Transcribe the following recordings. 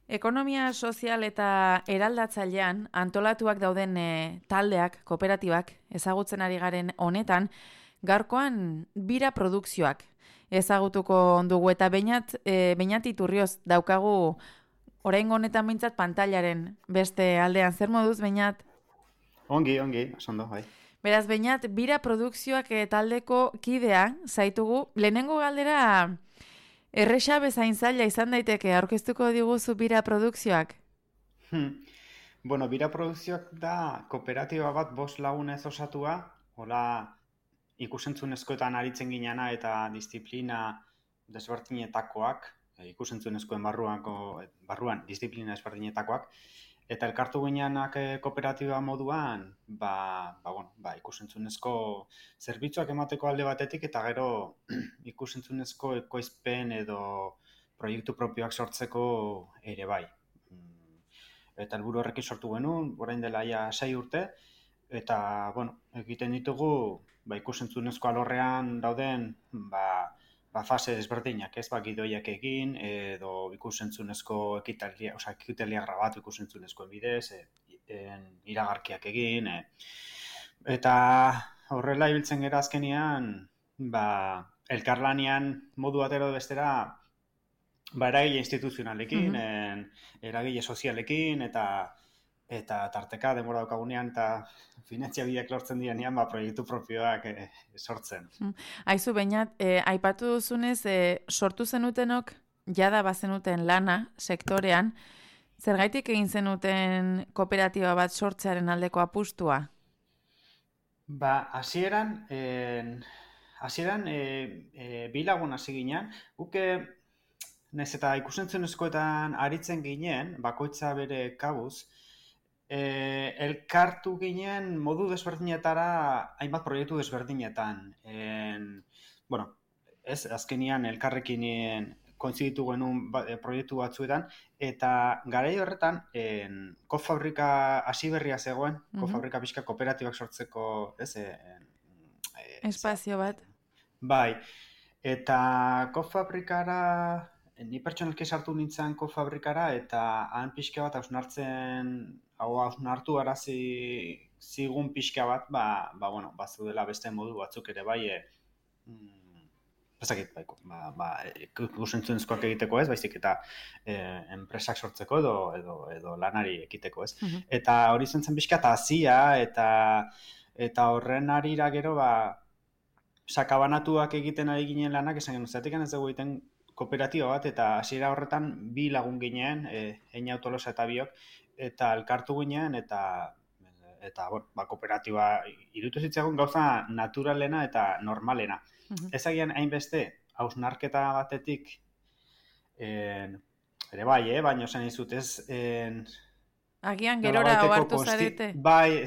Ekonomia sozial eta eraldatzailean antolatuak dauden taldeak, kooperatibak, ezagutzen ari garen honetan, gaurkoan bira produkzioak ezagutuko dugu eta Beñat Iturrioz daukagu oraingo honetan mintzat pantailaren beste aldean. Zer moduz, Beñat? Ongi, ondo, bai. Beraz, Beñat, bira produkzioak taldeko kidea zaitugu. Lehenengo galdera erresa bezain zaila izan daiteke aurkeztuko diguzu bira produkzioak? Bueno, bira produkzioak da kooperatiba bat 5 lagunez osatua, hola ikusentzunezkoetan aritzen ginena eta disiplina desberdinetakoak, ikusentzunezkoen barruan disiplina desberdinetakoak, eta elkartu ginenak kooperatiba moduan, ikusentzunezko zerbitzuak emateko alde batetik, eta gero ikusentzunezko ekoizpen edo proiektu propioak sortzeko ere bai. Eta helburu horrekin sortu genuen, orain dela 6 urte, eta egiten ditugu ikusentzunezko alorrean dauden fase desberdinak, ez gidoiak egin edo ikusentzunezko ekitaliak grabatu ikusentzunezkoen bidez, iragarkiak egin, eta horrela ibiltzen gera azkenean, elkarlanean modu batero bestera, eragile instituzionalekin, eragile sozialekin, eta tarteka denbora daukagunean eta finantzia bideak lortzen direnean proiektu propioak sortzen. Aizu, Beñat, aipatu duzunez, sortu zenutenok jada bazenuten lana sektorean, zergaitik egin zenuten kooperatiba bat sortzearen aldeko apustua? Hasieran bi lagun hasi ginen, guke naiz eta ikusentzunezkoetan aritzen ginen, bakoitza bere kabuz, elkartu ginen modu desberdinetara hainbat proiektu desberdinetan. Azkenian elkarrekin kointziditu genuen proiektu batzuetan, eta garai horretan kofabrika hasi berria zegoen, kofabrika pixka kooperatibak sortzeko, espazio bat. Bai, eta kofabrikara, ni pertsonalki sartu nintzen kofabrikara, eta han pixka bat hausnartu arazi zigun pixka bat, bazudela beste modu batzuk ere bai, ikusentzunezkoak egiteko ez, baizik eta enpresak sortzeko edo lanari ekiteko ez. Eta hori zen pixka eta hazia, eta horren arira gero sakabanatuak egiten ari ginen lanak, esan genuen, zatik ez dugu egiten kooperatiba bat, eta hasiera horretan 2 lagun ginen, Eina Tolosa eta biok, eta elkartu ginen, eta kooperatiba irutu zitzaigun gauza naturalena eta normalena. Ezagian hainbeste, hausnarketa batetik, ere bai, baina esan izut ez... Agian gerora ohartu zarete. Bai,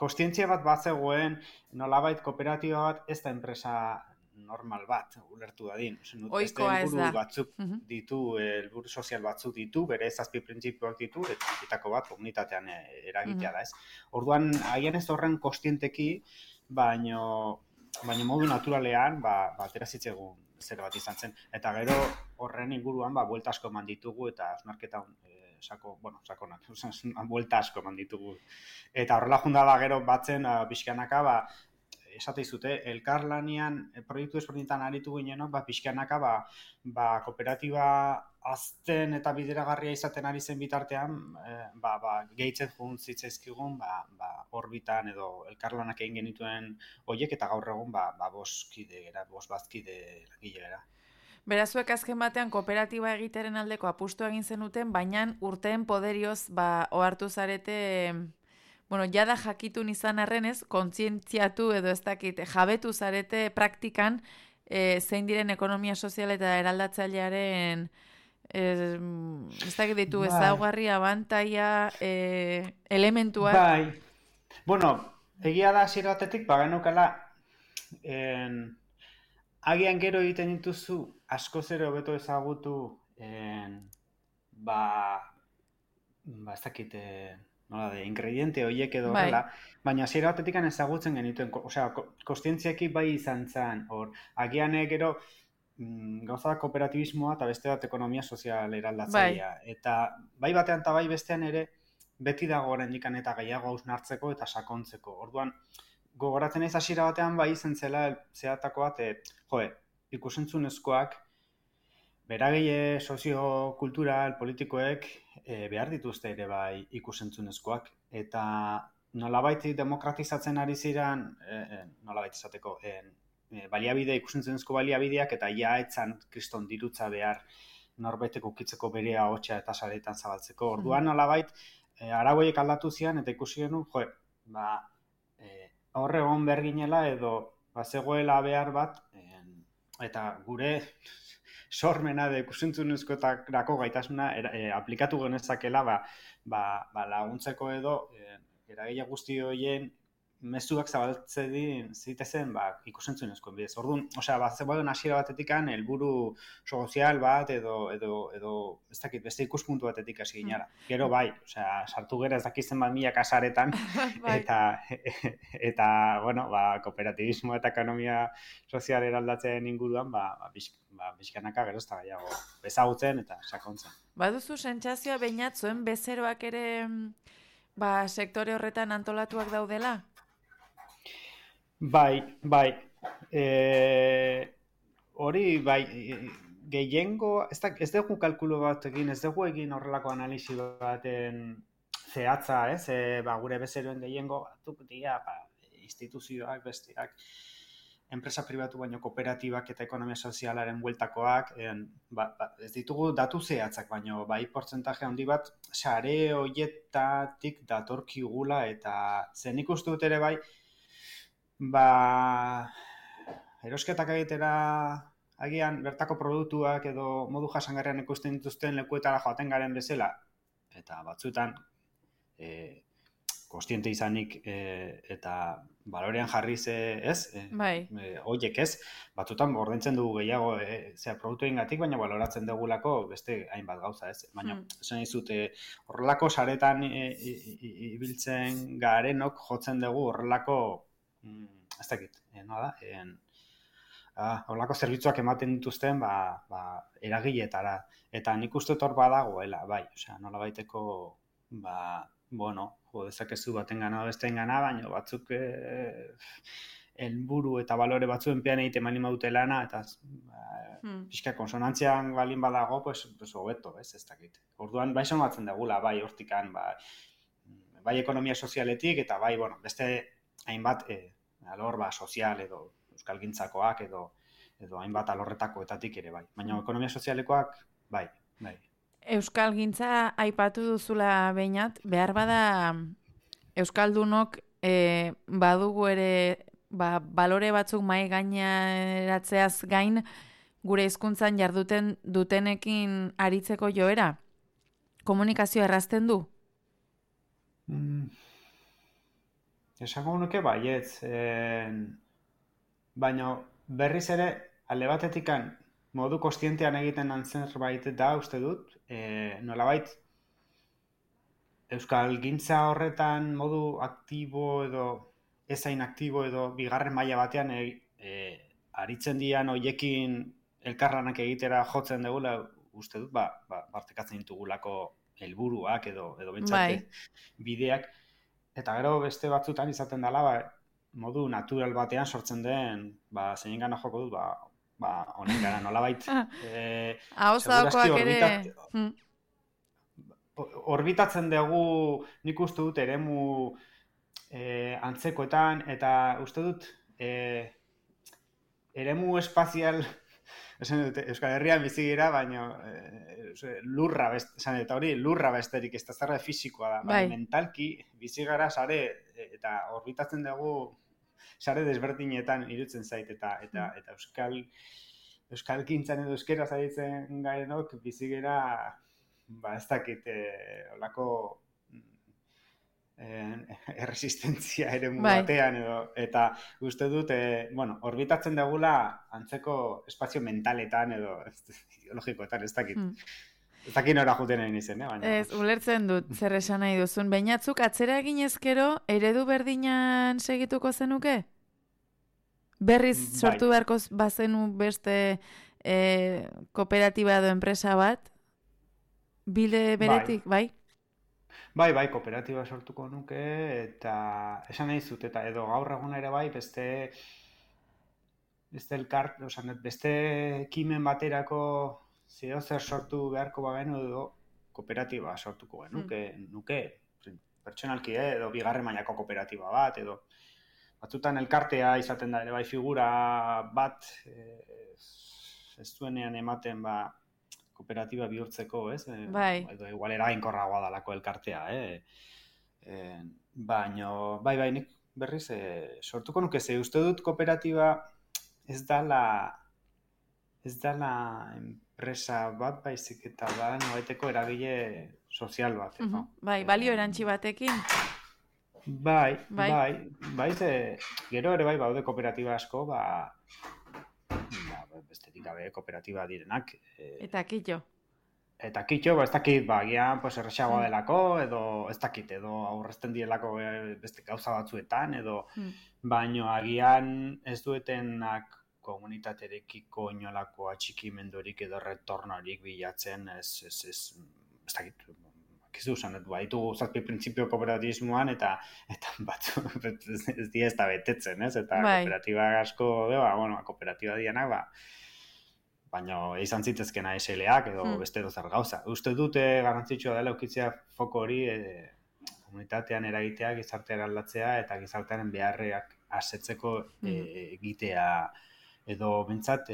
kostientzia bat zegoen, nolabait kooperatiba bat ez da enpresa normal bat, ulertu dadin. Oikoa ez da. Batzuk ditu, helburu sozial batzuk ditu, bere 7 printzipioak ditu, eta bitako bat komunitatean eragitea da ez. Orduan, agian ez horren kostienteki, baina modu naturalean, atera zitzegun zer bat izan zen. Eta gero horren inguruan, buelta asko eman ditugu, eta osnarketa sakonak, buelta asko eman ditugu. Eta horrela junda da gero batzen, pixkanaka, esate izute, elkarlanean proiektu ezberdinetan aritu ginenok, pixkanaka, kooperatiba azten eta bideragarria izaten ari zen bitartean, gehitzen jun zitzaizkigun, orbitan edo elkarlanak egin genituen horiek, eta gaur egun, 5 bazkide langile gara. Berazuek azken batean kooperatiba egiteren aldeko apustu egin zenuten, baina urteen poderioz ohartu zarete, jada jakitun izan arrenez, kontzientziatu edo ez dakit, jabetu zarete praktikan zein diren ekonomia sozial eta eraldatzailearen ez dakit ditu ezaugarri, abantaia, elementuak. Bai, egia da hasiera batetik, genukala, agian gero egiten dituzu asko zero hobeto ezagutu, ez dakit, ingrediente horiek edo horrela, baina hasiera batetik ezagutzen genituen, kostientziaki bai izan zen, agian gero gauza da kooperatibismoa eta beste bat ekonomia sozial eraldatzailea. Bai. Eta bai batean eta bai bestean ere beti dago oraindik eta gehiago hausnartzeko eta sakontzeko. Orduan, gogoratzen naiz hasiera batean bai izen zela zehatako bat, ikusentzunezkoak beragile soziokultural politikoek behar dituzte ere bai ikusentzunezkoak. Eta nolabait demokratizatzen ari ziren, nolabait izateko, ikusentzunezko baliabideak eta ja etzan kriston dirutza behar norbaitek ukitzeko bere ahotsa eta saretan zabaltzeko. Orduan nolabait arauiek aldatu zian eta ikusi genuen, horre egon behar ginela edo zegoela behar bat, eta gure sormena de ikusentzunezkoetarako gaitasuna aplikatu genezakela laguntzeko edo eragile guzti horien mezuak zabaltzen zitezen ikusentzunezkoen bidez. Orduan, zegoen hasiera batetikan helburu sozial bat edo ez dakit, beste ikuspuntu batetik hasi ginara. Gero bai, sartu gera ez dakizen bat milaka saretan eta bueno, kooperatibismo eta ekonomia sozial eraldatzen inguruan bizkanaka gero ez da gehiago ezagutzen eta sakontzen. Baduzu sentsazioa behinat zuen bezeroak ere sektore horretan antolatuak daudela? Bai. Hori, bai, gehiengo, ez dugu kalkulu bat egin, ez dugu egin horrelako analisi baten zehatza, gure bezeroen gehiengo batzuk dira, instituzioak, besteak, enpresa pribatu baino kooperatibak eta ekonomia sozialaren bueltakoak, ez ditugu datu zehatzak, baino bai portzentaje handi bat sare horietatik datorkigula eta zen ikustu dut ere bai, erosketak egitera agian bertako produktuak edo modu jasangarrian ikusten dituzten lekuetara joaten garen bezala eta batzuetan kostiente izanik eta balorean jarriz horiek batzuetan ordaintzen dugu gehiago produktuengatik, baina baloratzen dugulako beste hainbat gauza baina esan dizut horrelako saretan ibiltzen garenok jotzen dugu horrelako ez dakit, horrelako zerbitzuak ematen dituzten eragiletara. Eta nik uste hor badagoela, bai, nola baiteko, dezakezu baten gana, besteen gana, baina batzuk helburu eta balore batzuen pean egiten malin badute lana, eta pixka konsonantzian balin badago, hobeto, ez dakit. Orduan, bai somatzen dugula, bai hortikan, bai ekonomia sozialetik, eta bai, beste hainbat alor sozial edo euskalgintzakoak edo hainbat alorretakoetatik ere bai. Baina ekonomia sozialekoak bai. Euskalgintza aipatu duzula behinat, behar bada euskaldunok badugu ere balore batzuk mai gaineratzeaz gain gure hizkuntzan jarduten dutenekin aritzeko joera? Komunikazioa errazten du? Esango nuke baietz, baina berriz ere alde batetikan modu kostientean egiten zerbait da uste dut, nolabait euskalgintza horretan modu aktibo edo ezain aktibo edo bigarren maila batean aritzen dian hoiekin elkarlanak egitera jotzen dugula uste dut, partekatzen ditugulako helburuak edo bentsate bideak. Eta gero beste batzutan izaten dela, modu natural batean sortzen den, zein gana joko dut, honen gara, nolabait. Ahozdakoak ere. Orbitatzen dugu, nik uste dut, eremu antzekoetan, eta uste dut, eremu espazial, Euskal Herrian bizi gira, baina lurra besterik, ez da zerra fizikoa da, baina mentalki bizi gara sare eta orbitatzen dugu sare desberdinetan irutzen zait eta euskalgintzan edo euskera zaitzen garenok bizi gira ez dakit olako erresistentzia eremu batean eta uste dut orbitatzen dugula antzeko espazio mentaletan edo ideologikoetan ez dakit. Ez dakit nora juten egin izen, baina. Ez, ulertzen dut, zer esan nahi duzun. Bainatzuk, atzera egin ezkero, eredu berdinan segituko zenuke? Berriz sortu beharko bazenu beste kooperatiba edo enpresa bat, bide beretik, bai? Bai, kooperatiba sortuko nuke, eta esan nahi zut, eta edo gaur egun ere bai, beste ekimen baterako zeo zer sortu beharko bagenu edo kooperatiba sortuko nuke pertsonalki edo bigarren mailako kooperatiba bat, edo batzutan elkartea izaten da ere bai figura bat ez duenean ematen kooperatiba bihurtzeko, ez? Bai. Edo igual eraginkorragoa dalako elkartea, baino, bai, nik berriz sortuko nuke ze uste dut kooperatiba ez dala enpresa bat, baizik eta da nobaiteko eragile sozial bat. Bai, balio erantzi batekin. Bai, ze gero ere bai baude kooperatiba asko, besterik gabe kooperatiba direnak. Eta kitxo. Eta kitxo, ez dakit, agian erresagoa delako, edo ez dakit, edo aurrezten direlako beste gauza batzuetan, edo baino agian ez duetenak komunitaterekiko inolako atxikimendurik edo retornorik bilatzen, ez dakit, kizu zanet, ditugu zazpi printzipio kooperatibismoan, eta batzu ez dira ez da betetzen, ez? Eta kooperatiba asko, kooperatiba dianak, baina izan zitezkena SLAak edo beste dozer gauza. Uste dute garrantzitsua dela eukitzea foko hori komunitatean eragitea, gizartea aldatzea eta gizartearen beharreak asetzeko egitea edo bentsat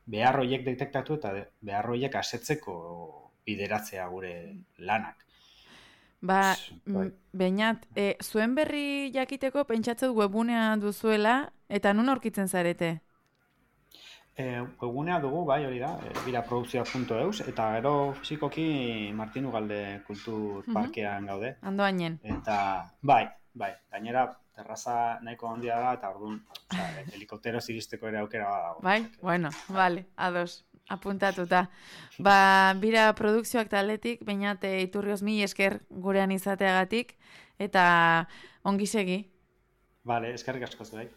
behar horiek detektatu eta behar horiek asetzeko bideratzea gure lanak. Beñat, zuen berri jakiteko pentsatzet webunea duzuela eta nun aurkitzen zarete? Webunea dugu, bai, hori da, biraprodukzioa.eus, eta gero fizikoki Martin Ugalde Kultur Parkean gaude. Andoainen. Eta, bai, gainera terraza nahiko handia da, eta orduan, helikopteroz iristeko ere aukera badago. Bai, bueno, vale, ados, apuntatuta. Bira produkzioak taldetik, Beñat Iturrioz mil esker gurean izateagatik, eta ongi segi. Vale, eskerrik asko zuei.